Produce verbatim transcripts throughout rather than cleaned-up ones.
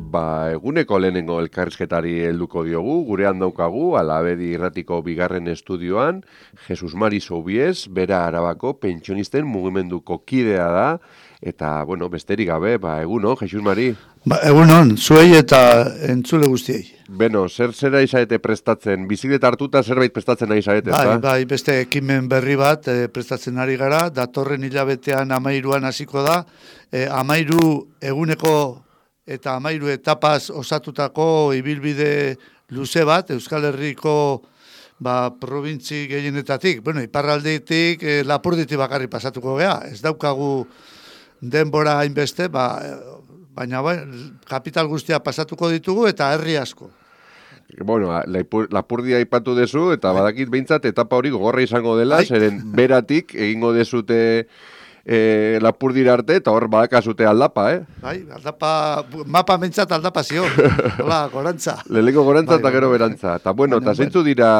ba, eguneko lehenengo elkarrizketari helduko diogu, gurean daukagu, Alabedi irratiko bigarren estudioan, Jesus Mari Soubies, bera Arabako pentsionisten mugimenduko kidea da, eta, bueno, besterik gabe, ba, egunon, Jesus Mari. Ba, egunon, zuei eta entzule guztiei. Beno, zer zera izarete prestatzen? Bizikleta hartuta zerbait prestatzen nahi izarete, bai, ezta? Bai, beste ekimen berri bat e, prestatzen ari gara, datorren hilabetean amairuan hasiko da, e, amairu eguneko eta amairu etapaz osatutako ibilbide luze bat, Euskal Herriko ba, probintzi gehienetatik, bueno, iparraldetik, e, Lapurditik bakarri pasatuko gea, ez daukagu denbora hainbeste, ba, baina bai, kapital guztia pasatuko ditugu eta herri asko. Bueno, Lapurdia aipatu dezu, eta badakit behintzat etapa hori gogorra izango dela, Ai. Zeren beratik egingo dezute e, Lapurdira arte, eta hor badakazute aldapa, eh? Bai, aldapa, mapa mentzat aldapa zio, hola, gorantza. Lehenko gorantza bai, eta gero bai, berantza. Eta bueno, eta zeintzu dira...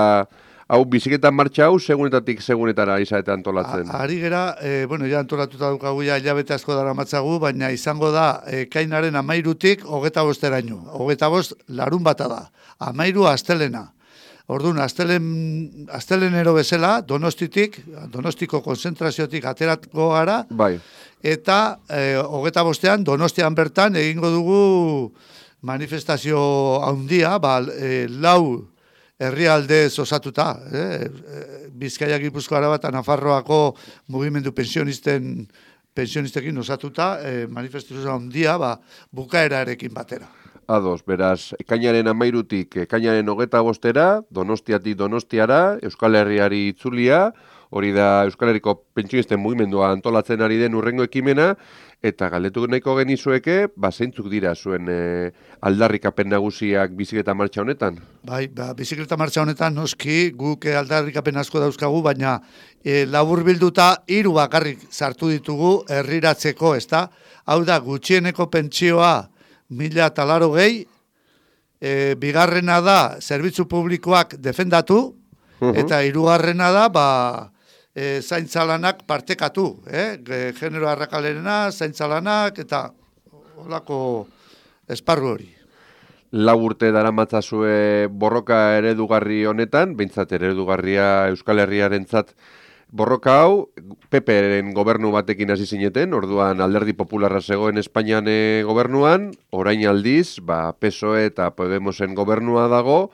Hau, biziketan martxa hau, segunetatik segunetara izate antolatzen? Ari gera, e, bueno, ja antolatuta dukagu, ja hilabete asko dara matzagu, baina izango da, e, kainaren amairutik, hogeta bosteraino. Hogeta bost, larun bata da. Amairu astelena. Orduan, astelen, astelenero bezala, donostitik, donostiko konzentraziotik ateratko gara, bai. Eta e, hogeta bostean, donostian bertan, egingo dugu manifestazio handia, ba, e, lau, herrialdez osatuta, eh? Bizkaia, Gipuzkoa, Araba eta Nafarroako mugimendu pensionisten pensionistekin osatuta, eh, manifestazio handia, ba, bukaerarekin batera. Ados, beraz, ekainaren amairutik, ekainaren hogeta bostera, Donostiatik Donostiara, Euskal Herriari itzulia, hori da Euskal Herriko pentsionisten mugimendua antolatzen ari den urrengo ekimena, eta galdetu nahiko genizueke, ba, zeintzuk dira zuen e, aldarrikapen nagusiak bizikleta martxa honetan? Bai, ba, bizikleta martxa honetan noski guk aldarrikapen asko dauzkagu, baina e, labur bilduta hiru bakarrik sartu ditugu herriratzeko, ezta? Hau da, gutxieneko pentsioa mila eta laro gehi, e, bigarrena da, zerbitzu publikoak defendatu, uh-huh. Eta hirugarrena da, ba, E, zaintzalanak partekatu, eh? Genero arrakalerena, zaintzalanak, eta holako esparru hori. Lau urte daramatzazue borroka eredugarri honetan, behintzat eredugarria Euskal Herriarentzat borroka hau, P P-ren gobernu batekin hasi zineten, orduan Alderdi Popularra zegoen Espainian e, gobernuan, orain aldiz, ba, P S O E eta Podemosen gobernua dago,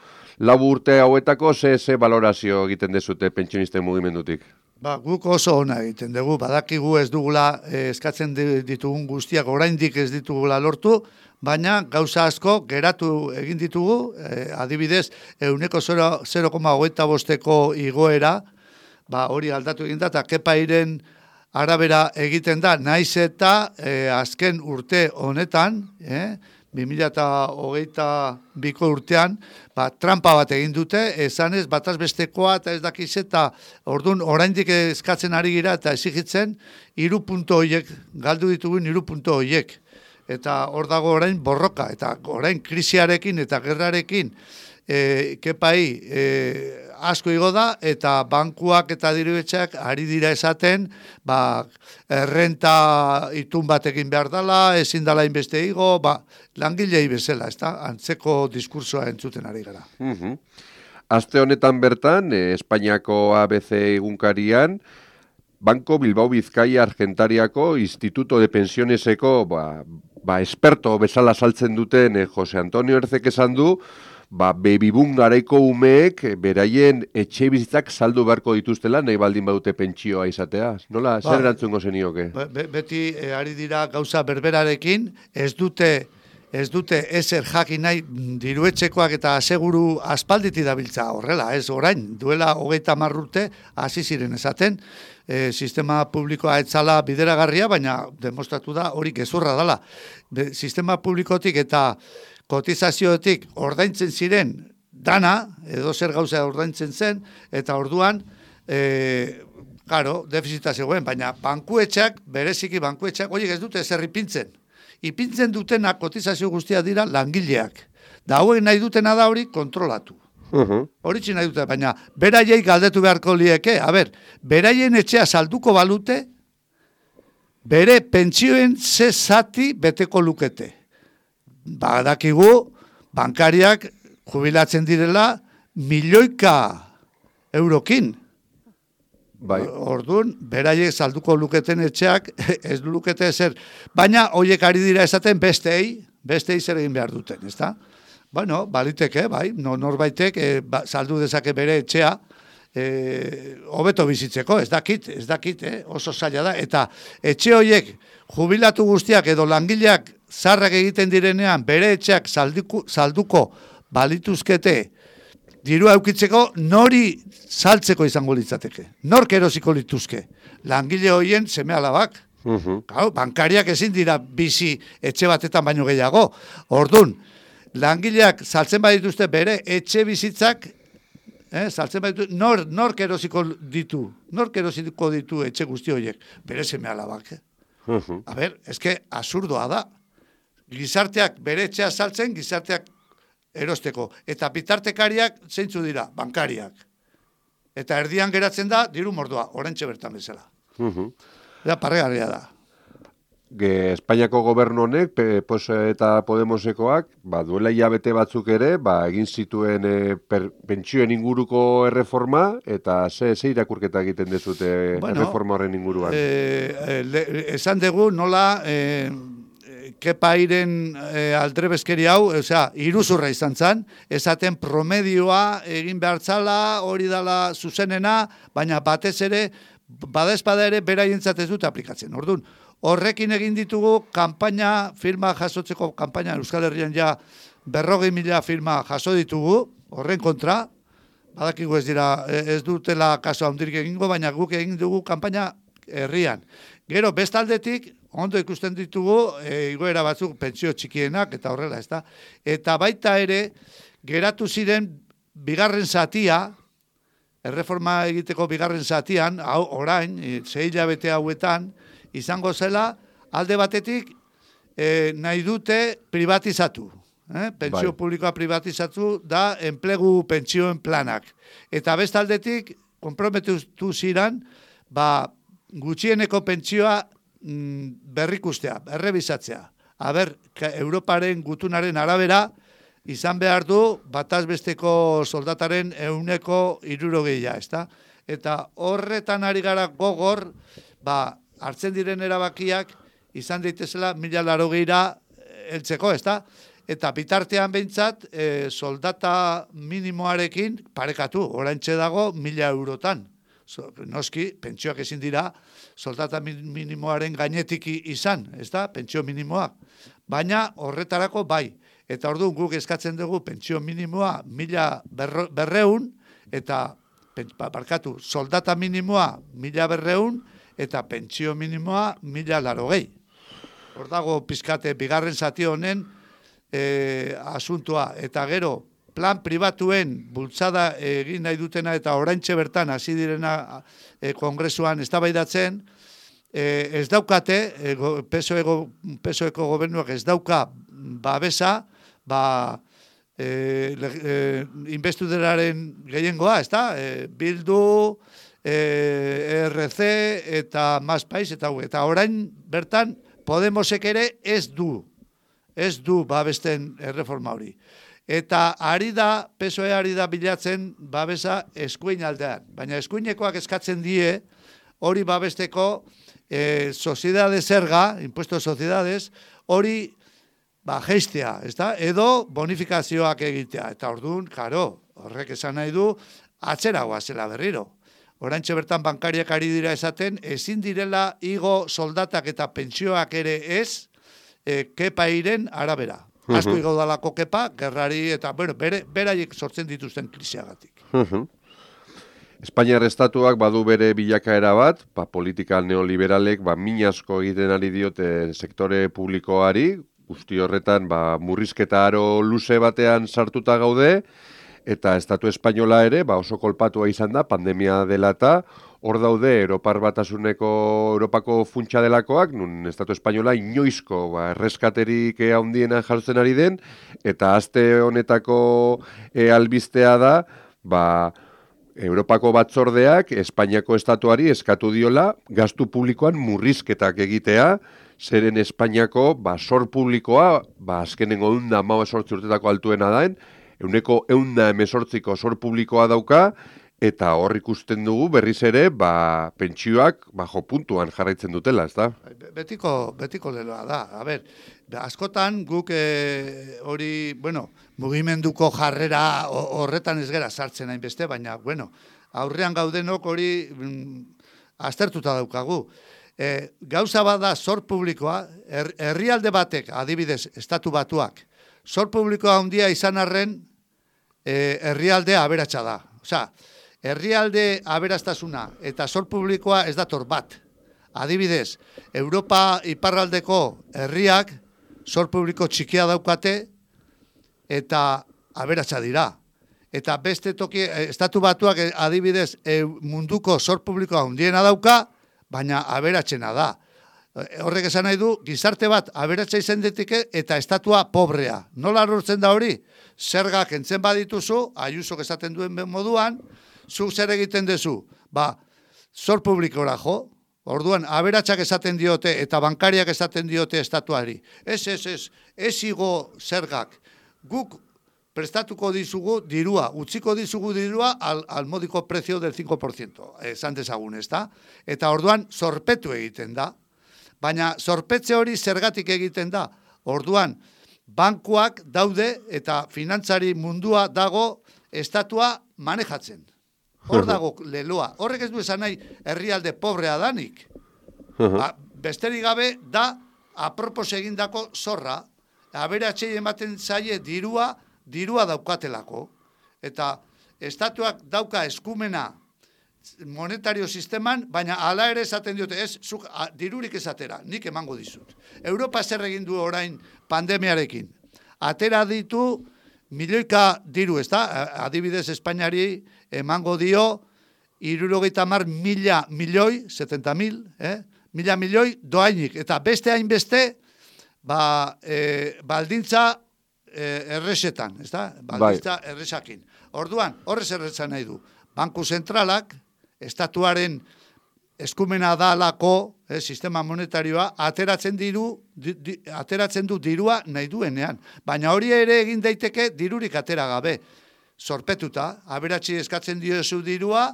lau urte hauetako ze, ze valorazio egiten dezute pentsionisten mugimendutik? Ba, guk oso ona egiten dugu, badakigu ez dugula eh, eskatzen ditugun guztiak, oraindik ez ditugula lortu, baina gauza asko geratu egin ditugu, eh, adibidez, ehuneko zero koma hogeita bosteko igoera, ba, hori aldatu egin da, eta kepairen arabera egiten da, naiz eta eh, azken urte honetan, eh, bi mila hogeita biko urtean, ba, trampa bat egin dute, esanez, bataz bestekoa eta ez dakiz eta orduan oraindik eskatzen ari gira eta exigitzen, hiru punto hoiek, galdu ditugun hiru punto hoiek. Eta hor dago orain borroka, eta orain krisiarekin eta gerrarekin, e, kepai e, asko igo da, eta bankuak eta dirubetxeak ari dira esaten, ba, errenta itun batekin behar dela, ezin dela inbeste igo, ba, langilei bezala, ez da, antzeko diskursoa entzuten ari gara. Uh-huh. Aste honetan bertan, eh, Espainiako A B C egunkarian, Banko Bilbao Bizkaia Argentariako Instituto de Pensioneseko, ba, ba, esperto bezala saltzen duten eh, Jose Antonio Erzek esan du, ba, bebibun garaiko umeek beraien etxe bizitzak saldu beharko dituztela, nahi baldin badute pentsioa izatea. Nola, ba, zer erantzungo zenioke? Be, beti e, ari dira gauza berberarekin, ez dute, ez dute ezer jakin nahi diruetxekoak eta aseguru aspalditi dabiltza horrela, ez orain, duela hogeita hamar urte hasi ziren esaten, e, sistema publikoa etzala bideragarria, baina demostratu da hori gezurra dela. Be, sistema publikotik eta kotizazioetik ordaintzen ziren dana, edo zer gauza ordaintzen zen, eta orduan, e, claro, defizita zegoen, baina bankuetxak, bereziki bankuetxak, horiek ez dute zer ipintzen. Ipintzen dutena kotizazio guztia dira langileak. Da hauek nahi dutena da hori kontrolatu. Uh-huh. Horitzi nahi dute, baina beraiei galdetu beharko lieke, a ber, beraien etxea salduko balute, bere pentsioen ze zati beteko lukete. badakigu bankariak jubilatzen direla milioika eurokin. Bai. Orduan, beraiek salduko luketen etxeak ez lukete ezer. Baina, hoiek ari dira esaten bestei, bestei zer egin behar duten, ezta? Bueno, baliteke, bai, no, norbaitek e, ba, saldu dezake bere etxea, e, hobeto bizitzeko, ez dakit, ez dakit, eh? Oso zaila da. Eta etxe hoiek jubilatu guztiak edo langileak zarrak egiten direnean bere etxeak salduko, salduko balituzkete, diru aukitzeko nori saltzeko izango litzateke. Nork erosiko lituzke. Langile hoien seme alabak. Uh-huh. Gau, bankariak ezin dira bizi etxe batetan baino gehiago. Ordun, langileak saltzen badituzte bere etxe bizitzak, eh, saltzen badituzte, nor, nork erosiko ditu, nork erosiko ditu etxe guzti horiek, bere seme alabak. Eh? Uh-huh. A ber, eske absurdoa da. Gizarteak bere etxea saltzen, gizarteak erosteko. Eta bitartekariak zeintzu dira, bankariak. Eta erdian geratzen da, diru mordoa, orentxe bertan bezala. Uh-huh. Eta parregarria da. Ge, Espainiako gobernu honek, P P O S eta Podemosekoak, ba, duela hilabete batzuk ere, ba, egin zituen e, per, pentsioen inguruko erreforma, eta ze, ze irakurketa egiten dezute bueno, erreforma horren inguruan? E, le, esan dugu nola... E, Kepairen e, aldrebezkeri hau, osea, iruzurra izan zen, esaten promedioa egin behartzala, hori dala zuzenena, baina batez ere, badezpada ere, beraientzat ez dute aplikatzen. Orduan, horrekin egin ditugu kanpaina, firma jasotzeko kanpaina, Euskal Herrian ja berrogei mila firma jaso ditugu, horren kontra, badakigu ez dira, ez dutela kaso handirik egingo, baina guk egin dugu kanpaina herrian. Gero, bestaldetik, ondo ikusten ditugu, e, igoera batzuk pentsio txikienak, eta horrela, ez da. Eta baita ere, geratu ziren bigarren zatia, erreforma egiteko bigarren zatian, hau, orain, sei hilabete hauetan, izango zela, alde batetik, e, nahi dute privatizatu. Eh? Pentsio bai. Publikoa privatizatu da enplegu pentsioen planak. Eta bestaldetik, konprometu ziren, ba, gutxieneko pentsioa berrikustea, errebisatzea. Aber, Europaren gutunaren arabera, izan behar du, batazbesteko soldataren euneko hirurogeia, ezta? Eta horretan ari gara gogor, ba, hartzen diren erabakiak, izan daitezela mila larogeira heltzeko, ezta? Eta bitartean behintzat, e, soldata minimoarekin parekatu, oraintxe dago mila eurotan. So, noski, pentsioak ezin dira, soldata minimoaren gainetik izan, ez da, pentsio minimoak. Baina horretarako bai. Eta orduan guk eskatzen dugu pentsio minimoa mila berreun, eta, barkatu, soldata minimoa mila berreun, eta pentsio minimoa mila larogei. Hor dago pizkate bigarren zati honen e, asuntoa. Eta gero, plan pribatuen bultzada egin nahi dutena eta oraintxe bertan hasi direna e, kongresuan eztabaidatzen, e, ez daukate, e, P S O E, P S O Eko gobernuak ez dauka babesa, ba, e, e, investiduraren gehiengoa, ez da? E, Bildu, e, R C eta Mas Pais, eta, eta orain bertan Podemosek ere ez du, ez du babesten erreforma hori. Eta ari da, P S O E ari da bilatzen babesa eskuin aldean. Baina eskuinekoak eskatzen die hori babesteko e, soziedade zerga, impuesto de sociedades, hori ba, geistea, ezta? Edo bonifikazioak egitea. Eta orduan, karo, horrek esan nahi du, atzeragoa zela berriro. Oraintxe bertan bankariak ari dira esaten, ezin direla igo soldatak eta pentsioak ere ez, e, kepairen arabera. Uh-huh. Asko igo dalako kepa, gerrari eta, bueno, bere, beraiek sortzen dituzten krisiagatik. Uh-huh. Espainiar estatuak badu bere bilakaera bat, ba, politika neoliberalek ba, min asko egiten ari diote sektore publikoari, guzti horretan ba, murrizketa aro luze batean sartuta gaude, eta estatu espainola ere ba, oso kolpatua izan da, pandemia dela eta, hor daude Europar Batasuneko Europako funtsa delakoak, nun estatu espainola inoizko ba, erreskaterik handiena jartzen ari den, eta aste honetako e, albistea da, ba, Europako batzordeak Espainiako estatuari eskatu diola gastu publikoan murrizketak egitea, zeren Espainiako ba, sor publikoa, ba, azkenengo eunda hamabost sortzi urtetako altuena daen, euneko eunda emesortziko sor publikoa dauka, eta hor ikusten dugu berriz ere, ba, pentsioak bajo puntuan jarraitzen dutela, ez da? Betiko, betiko leloa da. A ber, askotan guk e, hori, bueno, mugimenduko jarrera horretan ez gera sartzen hainbeste, baina, bueno, aurrean gaudenok hori mm, aztertuta daukagu. E, gauza bada sor publikoa, her, herrialde batek, adibidez, estatu batuak, sor publikoa handia izan arren, e, herrialdea aberatsa da. Osea, herrialde aberastasuna eta sor publikoa ez dator bat. Adibidez, Europa iparraldeko herriak sor publiko txikia daukate eta aberatsa dira. Eta beste toki, estatu batuak adibidez munduko sor publikoa handiena dauka, baina aberatsena da. Horrek esan nahi du, gizarte bat aberatsa izan diteke eta estatua pobrea. Nola lortzen da hori? Zergak entzen badituzu, Ayusok esaten duen moduan, zu zer egiten dezu? Ba, sor publikora jo, orduan, aberatsak esaten diote eta bankariak esaten diote estatuari. Ez, ez, ez, ez igo zergak. Guk prestatuko dizugu dirua, utziko dizugu dirua al, al modiko prezio del cinco por ciento, esan dezagun, ez da? Eta orduan, zorpetu egiten da. Baina zorpetze hori zergatik egiten da. Orduan, bankuak daude eta finantzari mundua dago estatua manejatzen. Hor dago leloa. Horrek ez du esan nahi herrialde pobrea danik. Ba, besterik gabe da apropos egindako zorra, aberatsei ematen zaie dirua, dirua daukatelako. Eta estatuak dauka eskumena monetario sisteman, baina hala ere esaten diote, ez, zuk a, dirurik esatera, nik emango dizut. Europa zer egin du orain pandemiarekin. Atera ditu milioika diru, ez da? Adibidez Espainiari emango dio hirurogeita hamar mila milioi, setenta mil, eh? mila milioi doainik. Eta beste hainbeste, ba, e, baldintza e, erresetan, ez da? Baldintza bai. Erresakin. Orduan, horrez erresan nahi du. Banku zentralak, estatuaren eskumena dalako, eh, sistema monetarioa, ateratzen diru, di, di, ateratzen du dirua nahi duenean. Baina hori ere egin daiteke dirurik atera gabe. Zorpetuta, aberatsi eskatzen diozu dirua,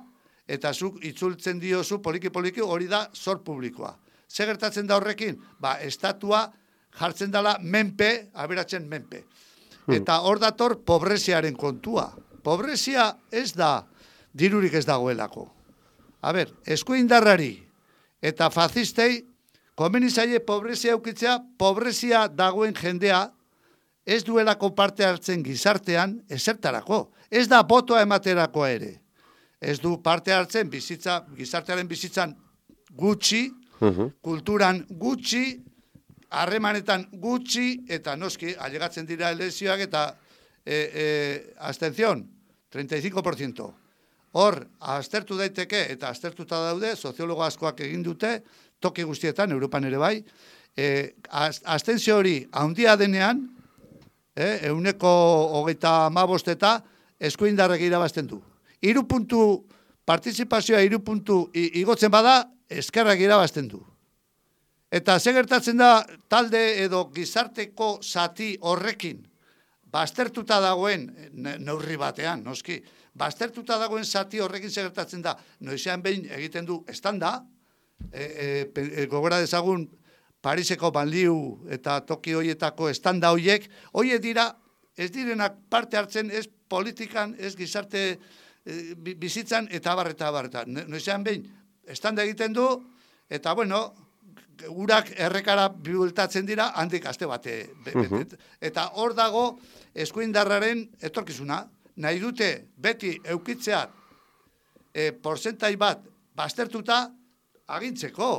eta zuk itzultzen diozu poliki-poliki hori da zor publikoa. Ze gertatzen da horrekin? Ba, estatua jartzen dela menpe, aberatzen menpe. Eta hor dator pobreziaren kontua. Pobrezia ez da dirurik ez dagoelako. A ber, eskuindarrari eta fazistei komeni zaie pobrezia eukitzea, pobrezia dagoen jendea ez duelako parte hartzen gizartean ezertarako. Ez da botoa ematerakoa ere. Ez du parte hartzen bizitza, gizartearen bizitzan gutxi, uh-huh. kulturan gutxi, harremanetan gutxi, eta noski, alegatzen dira elezioak eta e, e, abstención, treinta y cinco por ciento. Hor, aztertu daiteke, eta aztertuta daude, soziologo askoak egin dute, toki guztietan, Europan ere bai, e, abstentzio hori handia denean, e, euneko hogeita hamabost eta eskuindarrek irabazten du. Hiru puntu, partizipazioa hiru puntu igotzen bada, eskerrak irabazten du. Eta ze gertatzen da talde edo gizarteko zati horrekin, baztertuta dagoen, neurri batean, noski, baztertuta dagoen zati horrekin ze gertatzen da, noizean behin egiten du estanda, e, e, e, gogora dezagun Pariseko banliu eta toki hoietako estanda hoiek, hoiek dira, ez direnak parte hartzen, ez politikan, ez gizarte e, bizitzan, eta abar, eta abar, eta noizean behin estanda egiten du, eta bueno, urak errekara bihultatzen dira, handik aste bate. Be, uh-huh. Eta hor dago eskuindarraren etorkizuna. Nahi dute beti eukitzea e, porzentai bat baztertuta agintzeko.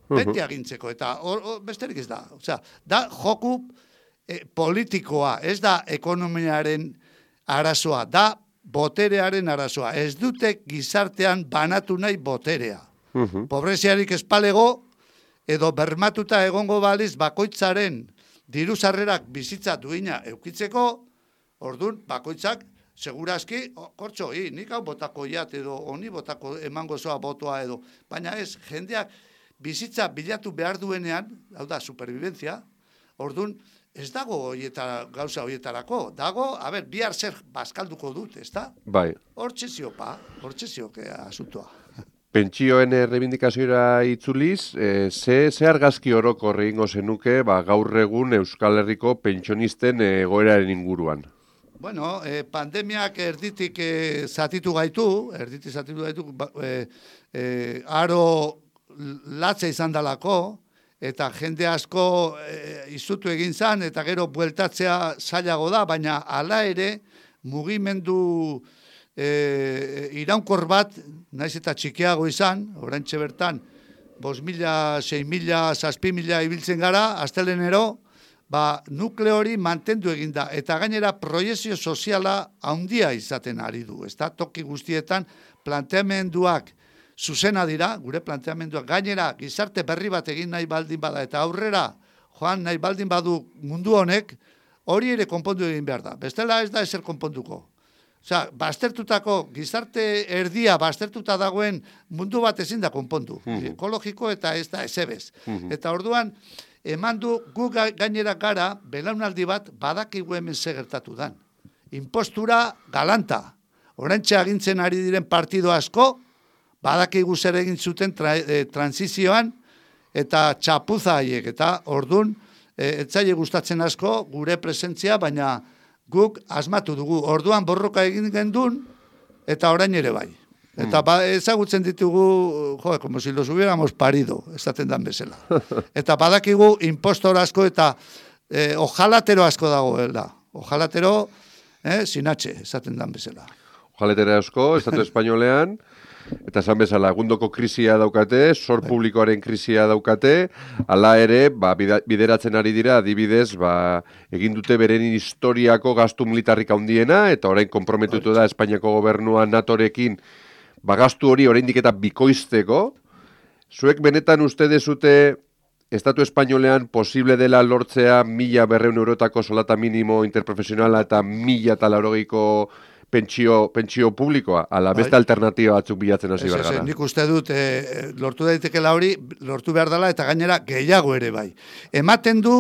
Uh-huh. Beti agintzeko. Eta hor, hor besterik ez da. Osea, da joku e, politikoa, ez da ekonomiaren arazoa, da boterearen arazoa. Ez dute gizartean banatu nahi boterea. Uh-huh. Pobreziarik espalego, edo bermatuta egongo baliz bakoitzaren diru sarrerak bizitza duina eukitzeko, ordun bakoitzak segurazki, oh, kortxo, hi, nik hau botako jat edo honi botako emango zoa botoa edo, baina ez, jendeak bizitza bilatu behar duenean, hau da, superviventzia, orduan, ez dago hoietara, gauza hoietarako, dago, a ber, bihar zer bazkalduko dut, ez da? Bai. Hortxe ziopa, hortxe zioke asuntoa. Pentsioen errebindikazioa itzuliz, e, ze, ze argazki orokor egingo zenuke ba, gaur egun Euskal Herriko pentsionisten egoeraren inguruan? Bueno, eh, pandemiak erditik eh, zatitu gaitu, erditik zatitu gaitu, eh, eh, aro latza izan dalako, eta jende asko eh, izutu egin zan, eta gero bueltatzea zailago da, baina hala ere mugimendu E, iraunkor bat, naiz eta txikiago izan, oraintxe bertan, bost mila, sei mila, zazpi mila ibiltzen gara, astelenero, ba, nukleo hori mantendu eginda, eta gainera proiezio soziala handia izaten ari du, ez da, toki guztietan planteamenduak zuzena dira, gure planteamenduak, gainera gizarte berri bat egin nahi baldin bada, eta aurrera joan nahi baldin badu mundu honek, hori ere konpondu egin behar da, bestela ez da ezer konponduko. Osea, baztertutako, gizarte erdia baztertuta dagoen mundu bat ezin da konpondu. Uh-huh. Ekologiko eta ez da ezebez. Uh-huh. Eta orduan, eman du gu gainera gara, belaunaldi bat badakigu hemen segertatu dan. Impostura galanta. Oraintxe agintzen ari diren partido asko, badakigu zer egin zuten tra, e, transizioan, eta txapuza haiek. Eta orduan, e, etzaile gustatzen asko, gure presentzia, baina guk asmatu dugu, orduan borroka egin gendun, eta orain ere bai. Eta ba, ezagutzen ditugu, jo, como si los hubiéramos parido, esaten dan bezala. Eta badakigu impostor asko eta eh, ojalatero asko dagoela. Ojalatero, eh, sinatxe, esaten dan bezala. Ojalatero asko, Estatu Espainolean, eta esan bezala, egundoko krisia daukate, sor publikoaren krisia daukate, hala ere, ba, bideratzen ari dira, adibidez, ba, egin dute beren historiako gastu militarrik handiena, eta orain konprometutu da Espainiako gobernua natorekin, ba, gastu hori oraindik eta bikoizteko. Zuek benetan uste dezute Estatu Espainolean posible dela lortzea mila berreun eurotako solata minimo interprofesionala eta mila eta laurogeiko pentsio, pentsio publikoa, ala beste bai. Alternatiba batzuk bilatzen hasi behar gara. Nik uste dut, e, lortu daitekela hori, lortu behar dela, eta gainera gehiago ere bai. Ematen du,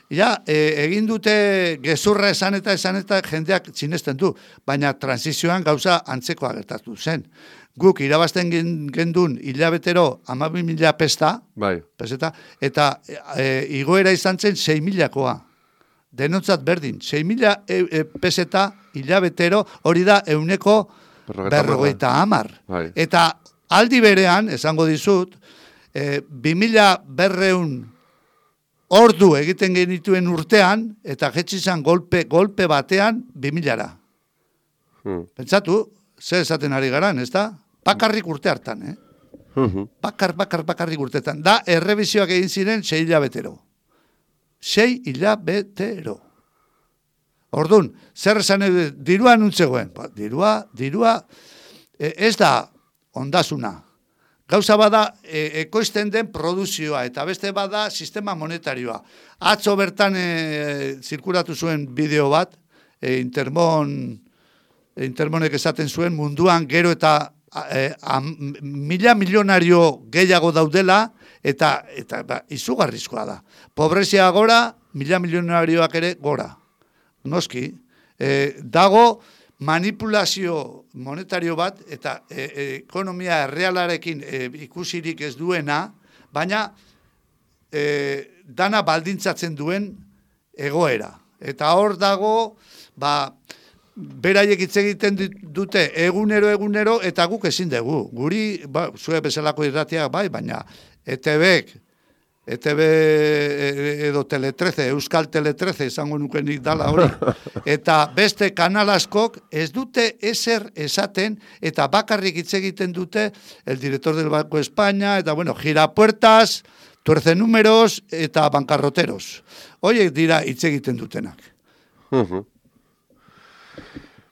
ja, e, egin dute gezurra esan eta esan eta jendeak sinesten du, baina transizioan gauza antzekoa gertatu zen. Guk irabazten gendun hilabetero hamabi mila pesta, bai. peseta, eta e, igoera izan zen sei milakoa. Denontzat berdin, sei mila e, e, peseta hilabetero, hori da euneko berrogeita hamar. Bai. Eta aldi berean, esango dizut, e, bi mila berreun ordu egiten genituen urtean, eta jetxizan golpe, golpe batean bi milara. Hmm. Pentsatu, zer esaten ari garan, ez da? Bakarrik urte hartan, eh? Uh-huh. Bakar, bakar, bakarrik urtetan. Da, errebizioak egin ziren sei hilabetero. Sei hilabetero. Ordun, zer esan edo, dirua nuntzegoen? Ba, dirua, dirua, e, ez da ondasuna. Gauza bada e, ekoizten den produzioa, eta beste bada sistema monetarioa. Atzo bertan e, zirkulatu zuen bideo bat, e, Intermon, e, Intermonek esaten zuen munduan gero eta e, a, mila milionario gehiago daudela, eta, eta ba, izugarrizkoa da. Pobrezia gora, mila milionarioak ere gora. Noski, eh, dago manipulazio monetario bat eta e, e, ekonomia errealarekin e, ikusirik ez duena, baina e, dana baldintzatzen duen egoera. Eta hor dago, ba, beraiek hitz egiten dute egunero egunero eta guk ezin dugu. Guri, ba, zue bezalako irratiak bai, baina E T Bek, E T B edo Tele trece, Euskal Tele trece, esango nukenik dala hori, eta beste kanal askok ez dute ezer esaten, eta bakarrik hitz egiten dute el director del Banco de España, eta bueno, girapuertas, tuerce números, eta bankarroteros. Hoiek dira hitz egiten dutenak. Uh-huh.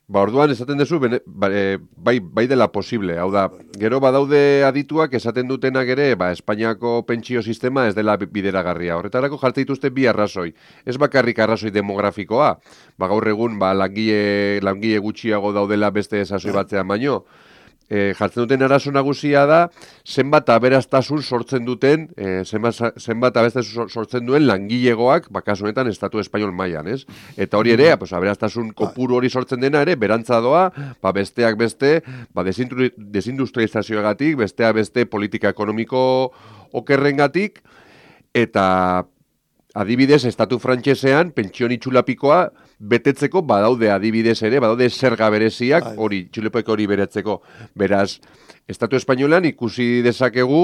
Ba, orduan esaten duzu, bene, bai, bai dela posible. Hau da, gero badaude adituak esaten dutenak ere, ba, Espainiako pentsio sistema ez dela bideragarria. Horretarako jarte dituzte bi arrazoi. Ez bakarrik arrazoi demografikoa. Ba, gaur egun, ba, langile, langile gutxiago daudela beste esasoi batzean baino. e, jartzen duten arazo nagusia da, zenbat aberastasun sortzen duten, e, zenbat, zenbat aberastasun sortzen duen langilegoak, bakasu honetan, Estatu Espainol mailan, ez? Eta hori ere, pues, aberastasun kopuru hori sortzen dena ere, berantza doa, ba, besteak beste, ba, desindustrializazioagatik, besteak beste politika ekonomiko okerrengatik, eta adibidez, Estatu frantsesean, pentsio itxulapikoa betetzeko badaude adibidez ere, badaude zerga bereziak, hori, itxulapiko hori beretzeko. Beraz, Estatu Espainolan ikusi dezakegu,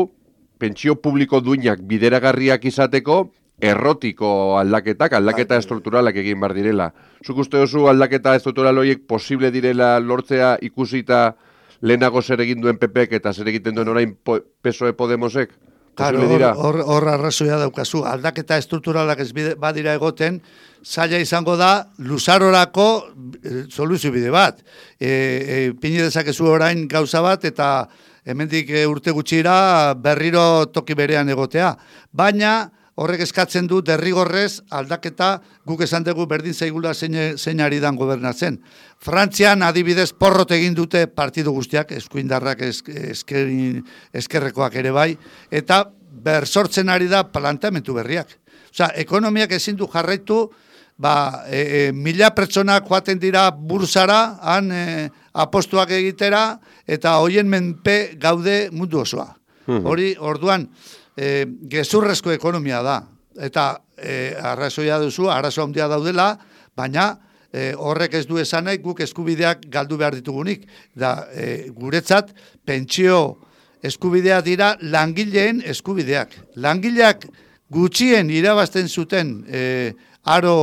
pentsio publiko duinak bideragarriak izateko, errotiko aldaketak, aldaketa estrukturalak egin bar direla. Zuk uste duzu aldaketa estruktural horiek posible direla lortzea ikusita lehenago zer egin duen P Pek eta zer egiten duen orain P S O E Podemosek? Claro, hor, hor arrazoia daukazu, aldaketa estrukturalak ez bide, badira egoten, zaila izango da luzarorako e, soluzio bide bat. E, e, Pini dezakezu orain gauza bat eta hemendik e, urte gutxira berriro toki berean egotea. Baina horrek eskatzen du derrigorrez aldaketa guk esan dugu berdin zaigula zein, zein ari dan gobernatzen. Frantzian adibidez porrot egin dute partidu guztiak, eskuindarrak esker, eskerrekoak ere bai, eta bersortzen ari da planteamentu berriak. Osea, ekonomiak ezin du jarraitu, ba, e, e, mila pertsonak joaten dira bursara, han e, apostuak egitera, eta hoien menpe gaude mundu osoa. Hori, orduan, E, gezurrezko ekonomia da, eta e, arrazoia duzu, arazo handia daudela, baina e, horrek ez du esan nahi guk eskubideak galdu behar ditugunik. Da, e, guretzat, pentsio eskubidea dira langileen eskubideak. Langileak gutxien irabazten zuten e, aro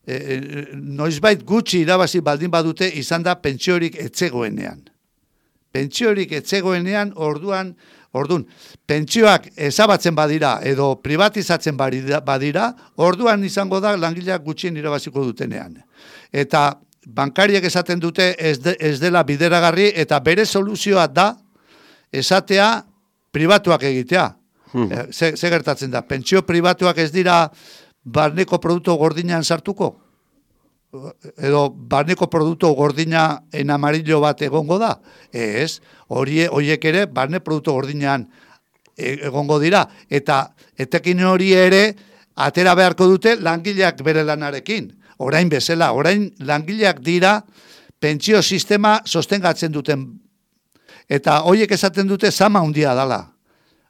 e, noizbait gutxi irabazi baldin badute izan da pentsiorik etzegoenean. Pentsiorik etzegoenean orduan Orduan, pentsioak ezabatzen badira edo privatizatzen badira, orduan izango da langileak gutxien irabaziko dutenean. Eta bankariek esaten dute ez, de, ez dela bideragarri eta bere soluzioa da esatea pribatuak egitea. Hmm. Ze, ze gertatzen da, pentsio pribatuak ez dira barneko produktu gordinan sartuko? Edo barneko produktu gordina en amarillo bat egongo da? Ez, hori, horiek ere barne produktu gordinan egongo dira. Eta etekin hori ere atera beharko dute langileak bere lanarekin. Orain bezala, orain langileak dira pentsio sistema sostengatzen duten. Eta horiek esaten dute zama handia dala.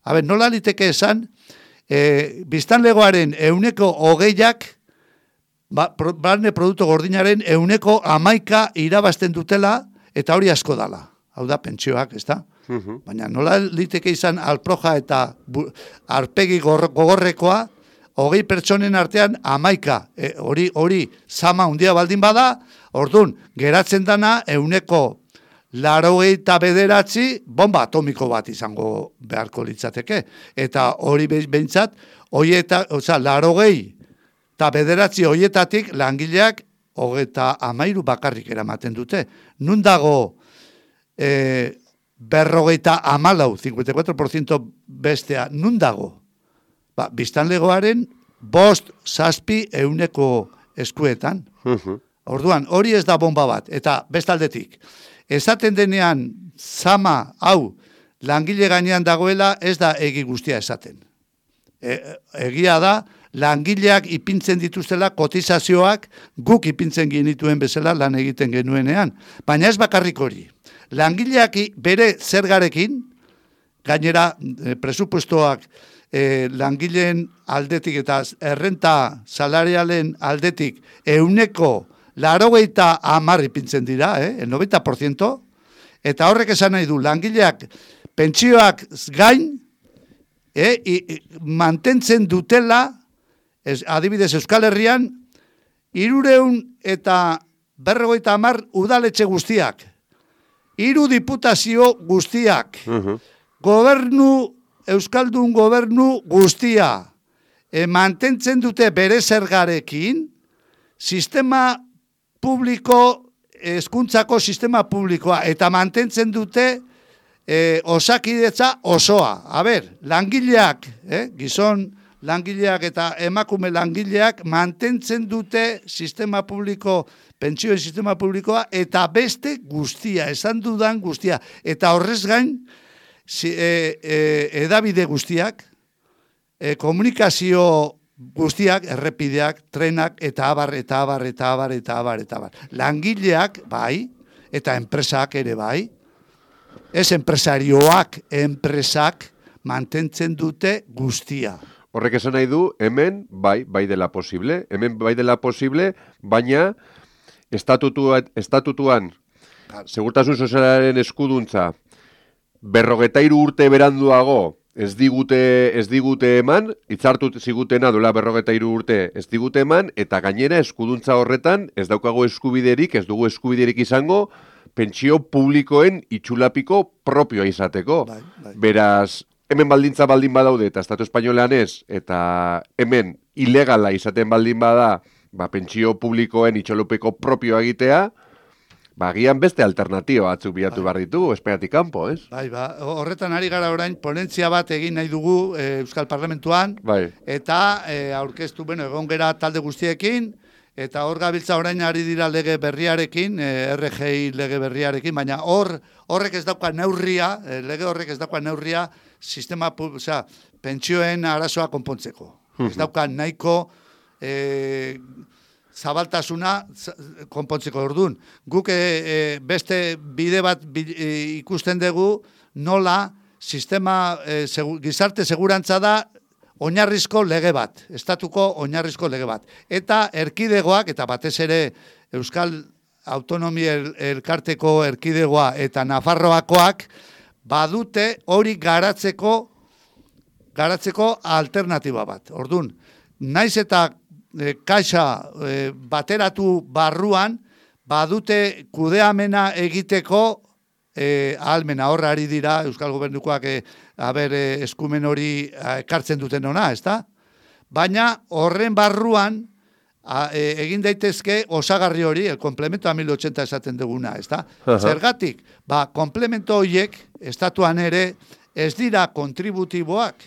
Habe, nola liteke esan, e, biztanlegoaren ehuneko hogeiak Ba, barne produktu gordinaren euneko amaika irabazten dutela eta hori asko dala. Hau da, pentsioak, ez da? Uh-huh. Baina nola liteke izan alproja eta bu, arpegi gogorrekoa, hogei pertsonen artean amaika. E, hori, hori, zama hundia baldin bada, orduan, geratzen dana euneko laurogeita bederatzi bomba atomiko bat izango beharko litzateke. Eta hori behintzat, hori eta, oza, laurogei eta bederatzi horietatik langileak hogeita amairu bakarrik eramaten dute. Nun dago e, berrogeita amalau, cincuenta y cuatro por ciento bestea, nun dago? Ba, biztanlegoaren bost zazpi euneko eskuetan. Uh-huh. Orduan, hori ez da bomba bat. Eta bestaldetik, esaten denean zama hau langile gainean dagoela ez da egi guztia esaten. E, egia da, langileak ipintzen dituztela kotizazioak guk ipintzen genituen bezala lan egiten genuenean. Baina ez bakarrik hori. Langileak bere zergarekin, gainera e, presupuestoak e, langileen aldetik eta errenta salarialen aldetik euneko laurogeita hamar ipintzen dira, eh, el noventa por ciento, eta horrek esan nahi du, langileak pentsioak gain e, i, i, mantentzen dutela. Ez, adibidez Euskal Herrian, hirureun eta berrogeita hamar udaletxe guztiak, hiru diputazio guztiak, uh-huh. gobernu, Euskaldun gobernu guztia, e, mantentzen dute bere zergarekin, sistema publiko, hezkuntzako sistema publikoa, eta mantentzen dute e, osakidetza osoa. A ber, langileak, eh, gizon, langileak eta emakume langileak mantentzen dute sistema publiko, pentsioen sistema publikoa, eta beste guztia, esan dudan guztia. Eta horrez gain, si, e, e, edabide guztiak, e, komunikazio guztiak, errepideak, trenak, eta abar, eta abar, eta abar, eta abar, eta abar. Langileak, bai, eta enpresak ere bai, ez enpresarioak, enpresak mantentzen dute guztia. Horrek esan nahi du, hemen bai, bai dela posible, hemen bai dela posible, baina estatutua, estatutuan, segurtasun sozialaren eskuduntza, berrogeta hiru urte beranduago ez digute, ez digute eman, hitzartu zigutena duela berrogeta hiru urte ez digute eman, eta gainera eskuduntza horretan ez daukago eskubiderik, ez dugu eskubiderik izango, pentsio publikoen itxulapiko propioa izateko. Bai, bai. Beraz, hemen baldintza baldin badaude eta Estatu Espainolean ez, eta hemen ilegala izaten baldin bada, ba, pentsio publikoen itxolupeko propioa egitea, ba, gian beste alternatiba batzuk bilatu behar ditugu, Espainiatik kanpo, ez? Bai, ba, horretan ari gara orain, ponentzia bat egin nahi dugu e, Euskal Parlamentuan, bai. Eta e, aurkeztu, bueno, egon gera talde guztiekin, eta hor gabiltza orain ari dira lege berriarekin, e, R G I lege berriarekin, baina hor horrek ez dauka neurria, e, lege horrek ez dauka neurria, sistema, osea, pentsioen arazoa konpontzeko. Ez dauka nahiko e, zabaltasuna konpontzeko orduan. Guk e, e, beste bide bat bi, e, ikusten dugu nola sistema e, segu, gizarte segurantza da oinarrizko lege bat, estatuko oinarrizko lege bat. Eta erkidegoak, eta batez ere Euskal Autonomia Elkarteko erkidegoa eta Nafarroakoak, badute hori garatzeko garatzeko alternatiba bat. Orduan, naiz eta e, kaxa e, bateratu barruan, badute kudeamena egiteko e, ahalmena horra ari dira Euskal Gobernukoak e, haber e, eskumen hori ekartzen duten ona, ezta? Baina horren barruan a, e, egin daitezke osagarri hori, el complemento a mil ochenta esaten duguna, ezta? Zergatik, ba, komplemento horiek estatuan ere ez dira kontributiboak,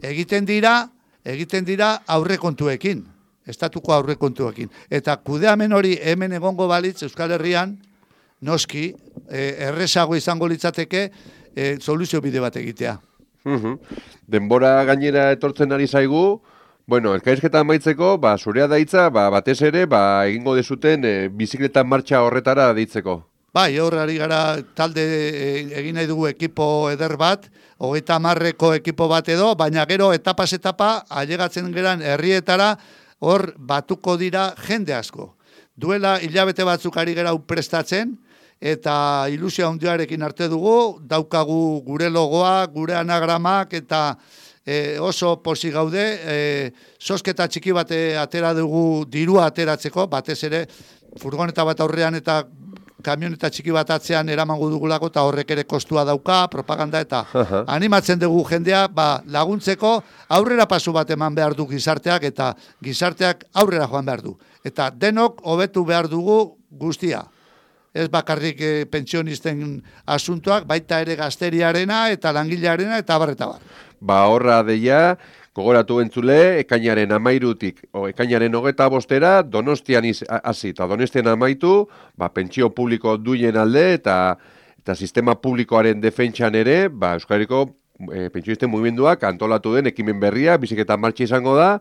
egiten dira, egiten dira aurrekontuekin, estatuko aurrekontuekin. Eta kudeamen hori hemen egongo balitz Euskal Herrian, noski, e, errezago izango litzateke e, soluzio bide bat egitea. Uhum. Denbora gainera etortzen ari zaigu, bueno, elkarrizketa amaitzeko, ba, zurea daitza, ba, batez ere, ba, egingo dezuten e, bizikleta martxa horretara deitzeko. Bai, hor ari gara talde e, egin nahi dugu ekipo eder bat, hogeita hamarreko ekipo bat edo, baina gero etapaz etapa, ailegatzen geran herrietara, hor batuko dira jende asko. Duela hilabete batzuk ari gara prestatzen, eta ilusia handiarekin arte dugu, daukagu gure logoa, gure anagramak, eta e, oso posi gaude, e, sosketa txiki bat atera dugu dirua ateratzeko, batez ere furgoneta bat aurrean eta kamioneta txiki bat atzean eramango dugulako, eta horrek ere kostua dauka, propaganda, eta animatzen dugu jendea ba, laguntzeko aurrera pasu bat eman behar du gizarteak, eta gizarteak aurrera joan behar du. Eta denok hobetu behar dugu guztia. Ez bakarrik e, pentsionisten asuntoak, baita ere gazteriarena eta langilearena eta bar eta bar. Ba horra deia, gogoratu entzule, ekainaren amairutik, o ekainaren hogeta bostera, Donostian hasi eta Donostian amaitu, ba, pentsio publiko duien alde eta eta sistema publikoaren defentsan ere, ba, Euskal Herriko e, pentsionisten mugimenduak antolatu den ekimen berria, biziketa martxa izango da,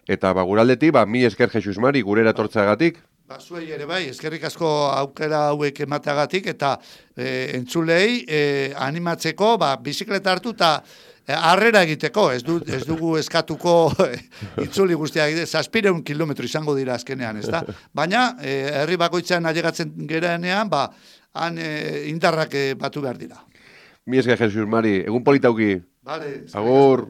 eta ba, guraldetik, ba, mi esker Jesus Mari, gurera tortzagatik. Ba, zuei ere bai, eskerrik asko aukera hauek emateagatik, eta e, entzulei e, animatzeko, ba, bizikleta hartu eta e, harrera egiteko, ez, du, ez dugu eskatuko itzuli guztiak, zazpireun kilometro izango dira azkenean, ez da? Baina, e, herri bakoitzean ailegatzen gerenean, ba, han e, indarrak e, batu behar dira. Mi esker Jesus Mari, egun politauki. Vale, Agur.